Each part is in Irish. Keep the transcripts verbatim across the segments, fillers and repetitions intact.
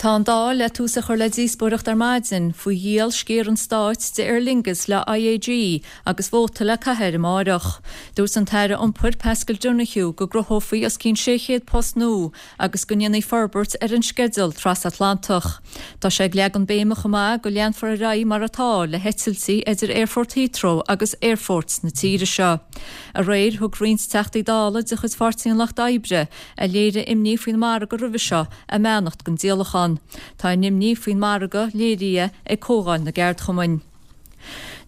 Tá an Dáil le tús a chur le díospóireacht ar maidin faoi dhíol sciar an stáit de Aer Lingus le IAG agus vóta le caitheamh amárach. Dúirt an tAire Iompair Paschal Donohoe go gcruthófaí os cionn sé chéad post nua agus go ndéanfaí forbairt ar an sceideal trasatlantach. Tá sé ag leagan béime chomh maith go leanfar ar aghaidh mar atá le heitiltí idir Aerfort Heathrow agus aerfoirt na tíre seo. Aréir thug roinnt teachtaí dála de chuid Pháirtí an Lucht Oibre a léirigh imní faoin margadh roimhe seo a mbeannacht don díolachán. Tá an imní faoin margadh léirithe ag Comhdháil na gCeardchumann.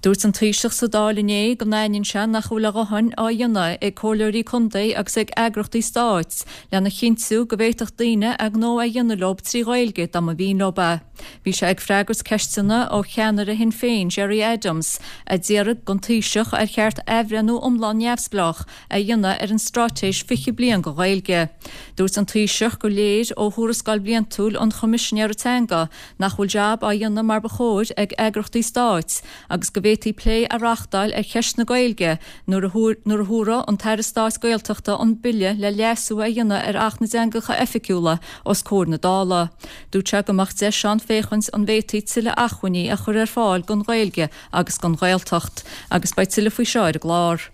Dúirt an Taoiseach sa Dáil inné go n-aithníonn sé nach bhfuil a dhóthain á dhéanamh ag comhairleoirí contae agus ag eagraíochtaí stáit lena chinntiú go bhféadfadh daoine a ngnó a dhéanamh leo trí Ghaeilge dá mba mhian leo é. Bhí sé ag freagairt ceisteanna ó cheannaire Shinn Féin Gerry Adams a d'iarr den Taoiseach ar cheart athbhreithniú iomlán neamhspleách a dhéanamh ar an straitéis fiche bliain don Ghaeilge. Dúirt an Taoiseach gur léir ó thuarascáil bhliantúil an Choimisinéara Teanga nach bhfuil jab á dhéanamh mar ba chóir ag eagraíochtaí stáit agus go bhféadfaí plé a reáchtáil ar cheist na Gaeilge nuair a thabharfaidh an tAire Stáit Gaeltachta an bille le leasú a dhéanamh ar Acht na dTeangacha Oifigiúla os comhair na Dála. Dúirt sé go mbeadh deis ann féachaint an bhféadfaí tuilleadh acmhainní a chur ar fáil don Ghaeilge agus don Ghaeltacht, agus beidh tuilleadh faoi seo ar an gclár.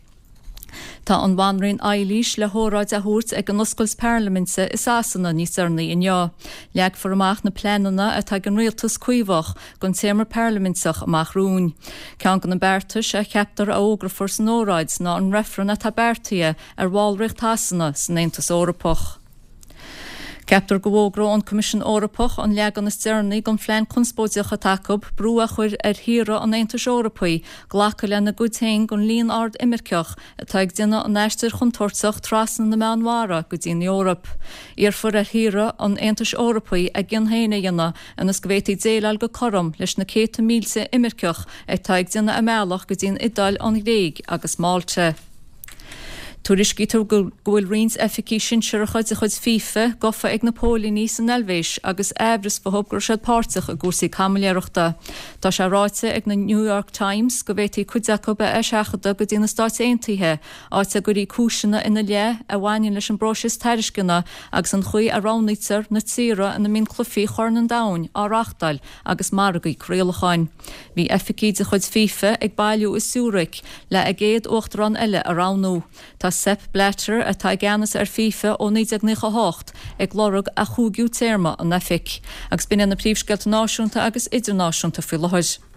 Tá an Bhanríon Eilís le hóráid a thabhairt ag an oscailt parlaiminte i Sasana níos deireanaí inniu. Leagfar amach na pleananna atá ag an rialtas caomhach don téarma parlaiminteach amach romhainn. Ceann de na beartais a cheaptar a fhógrófar san óráid ná an reifreann atá beartaithe ar bhallraíocht Shasana san Aontas Eorpach. Ceaptar go bhfógróidh an Coimisiún Eorpach an leagan is deireanaí den phlean conspóideach atá acu brú a chur ar thíortha an Aontais Eorpaigh glacadh lena gcuid féin den líon ard imirceach atá ag déanamh an aistir chontúirteach trasna na Meánmhara go dtí an Eoraip. Iarrfar ar thíortha an Aontais Eorpaigh a gcion féin a dhéanamh ionas go bhféadfaí déileáil go cothrom leis na céadta mílte imirceach atá ag déanamh a mbealach go dtí an Iodáil, an Ghréig agus Málta. Tuairiscítear go bhfuil roinnt oifigigh sinsearacha de chuid FIFA gafa ag na póilíní san Eilvéis agus amhras fúthu go raibh siad páirteach i gcúrsaí caimiléireachta. Tá sé ráite ag na New York Times go bhféadfaí cuid acu a eiseachadadh go dtí na Stáit Aontaithe, áit a gcuirfí cúiseanna ina leith a bhaineann leis an bpróiseas tairisceana agus an chaoi a roghnaítear na tíortha ina mbíonn cluichí Chorn an Domhain á reáchtáil agus margaí craolacháin. Bhí oifigigh de chuid FIFA ag bailiú i Zurich le a gcéad uachtarán eile a roghnú. Tá Sepp Blatter atá i gceannas ar FIFA ó naoi déag nócha hocht ag lorg a chúigiú téarma in oifig. Agus b'in iad na príomhscéalta náisiúnta agus idirnáisiúnta faoi láthair.